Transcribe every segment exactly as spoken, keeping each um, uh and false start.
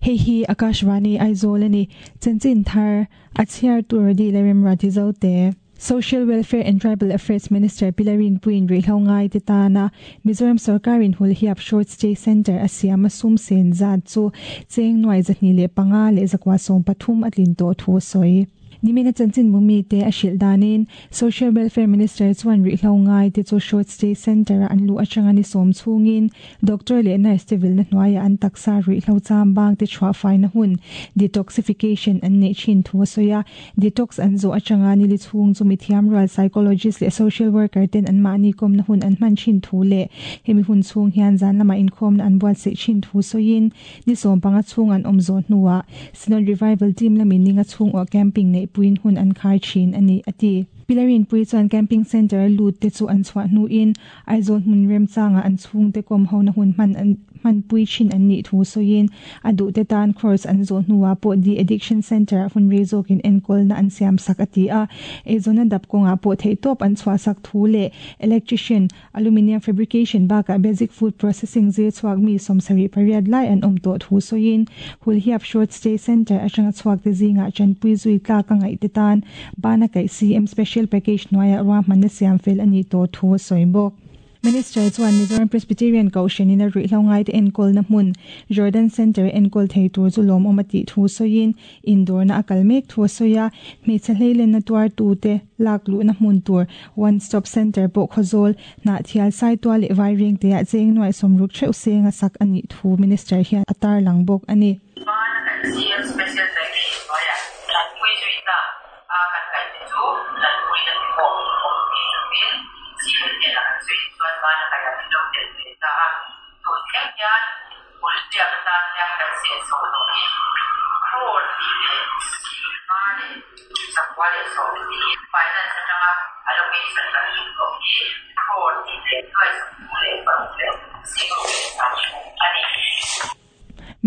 Hei hi Akashvani Aizawl ani chanchin thar a chhiar tur di lerem rati zo te. Social Welfare and Tribal Affairs Minister Pilarin Puin ri hlongai te tana Mizoram Sarkarin Hulhiap Short Stay Center a siama sum sen zat chu cheng nuai zahni le panga le zakwa som pathum atlin to thu soi. Nimina chanchin mumi te a hril danin Social Welfare Minister chuan ri hlongai te chu Short Stay Center an lu atanga ni som chungin doctor le nurse te vil na hnuaia an taksa ri hlo cham bang te chhuah fai na hun detoxification an nei thin thu soya detox an zo atanga ni li chhung chu mithiam rual psychologist le social worker ten an mani kom na hun an hman thin thu le hemi hun chhung hian zan lama inkhawm na an buat se thin thu soin ni som panga chhung an awm zo hnuah Synod Revival team lamin ninga chhung aw camping nei puin hun an khai thin ani ati. Pilarin pui chuan camping center lut te chu an chhuah hnu in Aizawl hmun rem changa an chhung te kom ho na hun hman an hman pui thin an nih thu sawiin a duh te tan course an zawh hnuah pawh de addiction center hun rei zawkin enkawl na an siam sak a ti a. Eizawn a dap kawngah pawh theih tawp an chhuah sak thu leh electrician aluminium fabrication bakah basic food processing zir chhuak mi sawmsarih pariat lai an awm tawh thu sawiin Hulhiap Short Stay Center atanga chhuak te zingah chanpui zui tlak a ngaih te tan bana kaih C M special package hnuaiah ruahman na siam fel ani tawh thu a sawi bawk. Minister chuan Mizoram Presbyterian Kohhranin a ruih hlongai te enkawl na hmun Jordan Center enkawl thei tur chu lawm awm a tih thu sawiin indawr na a kal mek thu a sawi a. Hmeichhe hleilen na tuar tu te lak luh na hmun tur One Stop Center pawh khawzawl hnah thial sai tual leh vai reng te ah cheng nuai sawmruk theuh seng a sak ani thu minister hian a tar lang bawk ani. Bana kaih C M special package hnuaiah chanpui zui ta a kan kaih te chu chanpui na ti pawh awm thei lovin C M hnenah kan sawi chuan bana kaihah min lo tel ve ta a. Tun thleng hian Hulhliap atan hian kan sen so tawh hi crore hnih leh singha leh zakua leh sawmhnih finance atanga allocation kan tum tawh hi crore hnih leh nuai sawmthum leh paruk leh singruk leh sangthum a ni.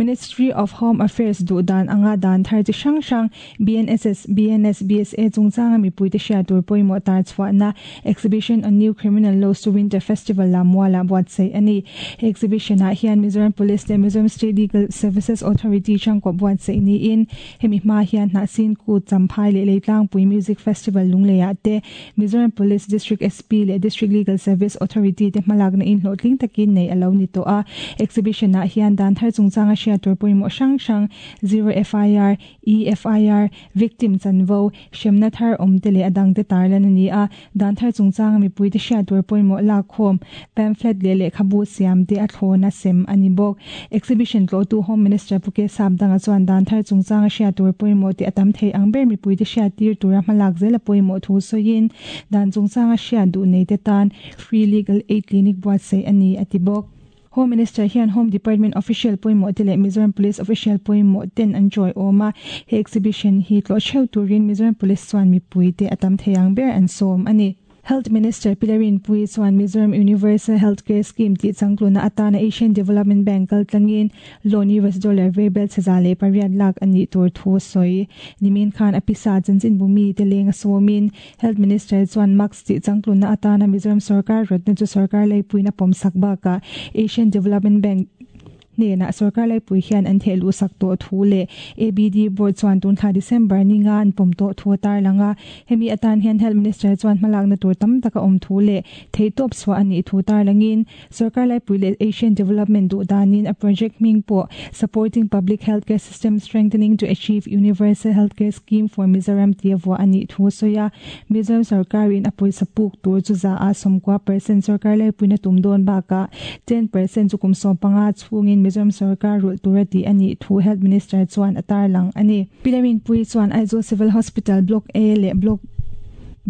Ministry of Home Affairs duh dan anga dan thar chi hrang hrang B N S S, B N S, B S A chungchanga mipui te hriat tur pawimawh tar chhuahna Exhibition on New Criminal Laws to Winter Festival Lammuala buatsaih ani. He exhibition ah hian Mizoram Police leh Mizoram State Legal Services Authority changkawp buatsaih niin hemi hma hian hnahsin kut champhai leh Leitlangpui Music Festival lungleiah te Mizoram Police District S P leh District Legal Service Authority te hmalak na in hlawhtling takin nei alo ni tawh a. Exhibition ah hian dan thar chungchanga hriat tur pawimawh hrang hrang zero F I R, E F I R, victim chanvo, hremna thar awm te leh adang te tarlan ani a. Dan thar chungchanga mipui te hriat tur pawimawh lak khawm pamphlet leh lehkhabu siam te a thlawna sem ani bawk. Exhibition tlo tu Home Minister Puke Sapdanga chuan dan thar chungchanga hriat tur pawimawh te atam thei ang ber mipui te hriat tir tura hmalak zel a pawimawh thu sawiin dan chungchanga hriat duh nei te tan free legal aid clinic buatsaih ani ati bawk. Home Minister hian Home Department official pawimawh te leh Mizoram Police official pawimawh ten an joy awm a. He exhibition hi tlo theuh turin Mizoram Police chuan mipui te atam thei ang ber an sawm ani. Health Minister Pilarin Pui chuan Mizoram Universal Healthcare Scheme ti changtluna atana Asian Development Bank kal tlangin loan U S dollar verbel chaza le pariat lakh ani tur thu soi. Nimin khan apisa chanchin bumi te lenga somin Health Minister chuan max ti changtluna atana Mizoram Sarkar ratna chu sarkar lei puina pom sakba ka Asian Development Bank ne na sarkar lai pui hian an thelu sak to thu le A B D board chuan tun thla December ninga an pom to thu tar langa hemi atan hian Health Minister chuan hmalak na tur tam taka om thu le thei top swa ani thu tar langin sarkar lai pui le Asian Development du danin a project ming po supporting public healthcare system strengthening to achieve universal healthcare scheme for Mizoram tiawa ani thu soya Mizoram sarkar in apoi sapuk tur chu za a somkwa percent sarkar lai pui na tum don ba ka ten percent chu kum som panga chungin Mizoram Sarkar rul turati ani thu Health Minister chuan atar lang ani. Pilarin Pui chuan Aizawl Civil Hospital Block A le Block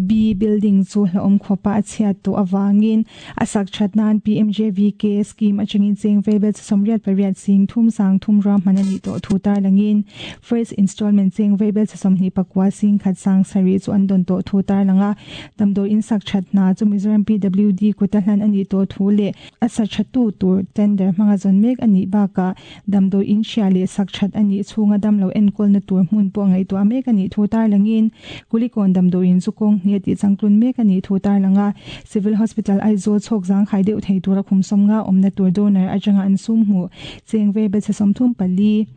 B building chu hlaom khopa a chhiat to awangin asak thatnan P M J V K scheme achangin cheng veibel somriat pariat sing thum sang thum ram manani to thu tar langin first installment cheng veibel somni pakwa sing khat sang sari chu andon to thu tar langa damdo in sak thatna chu Mizoram P W D kutahlan ani to thu le asa thatu tur tender manga zon mek ani baka damdo in shia le sak that ani chunga damlo enkol na tur hmun po ngai to mek ani thu tar langin kulikon damdo in chu kong ni ti changtlun mek ani thu tar langa Civil Hospital Aizawl chhok zang khai deuh thei tura khum som nga omna tur donor atanga an sum hmu cheng ve be som thum pali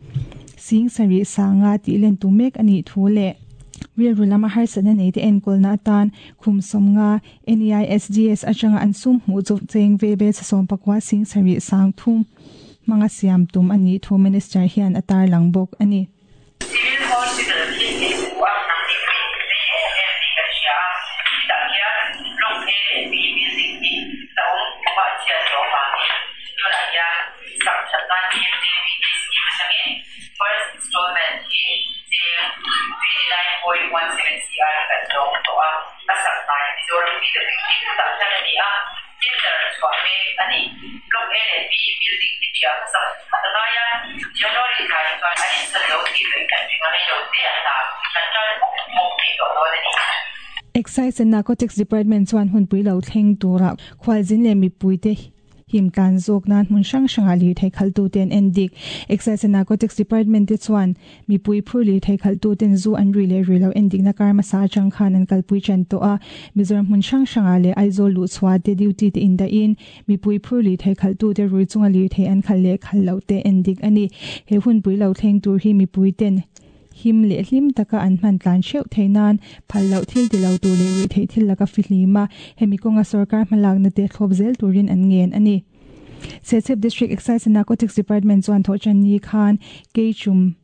sing sarih sanga tih len tum mek anih thu leh rilru lama harsatna nei te enkawlna atan khum sawmnga N E I S D S atanga an sum hmuh chu cheng vaibelchhe sawm pakua sing sarih sang thum hmanga siam tum anih thu minister hian a tarlang bawk ani. Civil Hospital hi a nang ni pui em em tih kan hria a, tah hian block A leh B building hi la awm kuma chhiat tawh avangin tunah hian sak that nan P M J V T scheme atangin first installment hi cheng twenty-nine point one seven C R kan dawng tawh a, a sak hnai Mizoram P W D tah hian a ni a, tender chhuah mek a ni. Block A leh B building hi ṭhiah hmasak a ngai a, January thla hi chuan an insan lo tih leh kan ring a, rei lo te a hna kan ṭan mawp mawp thei tawh dawn a ni. Excise and Narcotics Department chuan hunpui lo thleng tura khwalzin leh mipui te him tlan zawk nan hmun hrang hranga lirthei khaltu ten en dik. Excise and Narcotics Department te chuan mipui phur lirthei khaltu ten zu an rui leh rui lo en dikna kar hmasa atang khan an kalpui ṭan tawh a. Mizoram hmun hrang hranga leh Aizawl luh chhuah te duty te in dah in mipui phur lirthei khaltu te rui chunga lirthei an khal leh khal loh te en dik ani. He hunpui lo thleng tur hi mipui ten him leh hlim taka an hman tlan theuh thei nan phal loh thil ti lo tur leh rui theih thil laka fihlima hemi kawnga sarkar hmalakna te thlawp zel turin an ngen ani. Serchhip District Excise and Narcotics Department chuan thawhṭan ni khan Keichum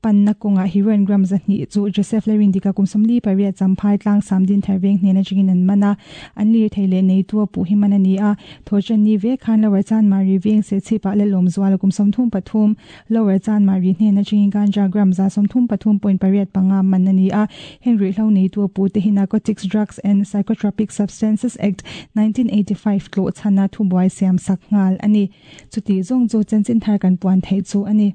panna kawnga heroin gram zahnih chu Joseph Lerindika kum sawmli pariat Champhai tlang Samdin Tharveng hnen atangin an man a, an lirthei leh nei tu a puh hi man ani a. Thawhṭan ni ve khan Lower Chanmari veng Serchhip-ah le lawmzuala kum sawmthum pathum Lower Chanmari hnen atangin ganja gram za sawmthum pathum point pariat panga man ani a. Heng ruihhlo nei tu a pu te hi Narcotics Drugs and Psychotropic Substances Act nineteen eighty-five tlawh chhana thubuai siam sak nghal ani. Chuti zawng chu chanchin thar kan puan theih chu ani.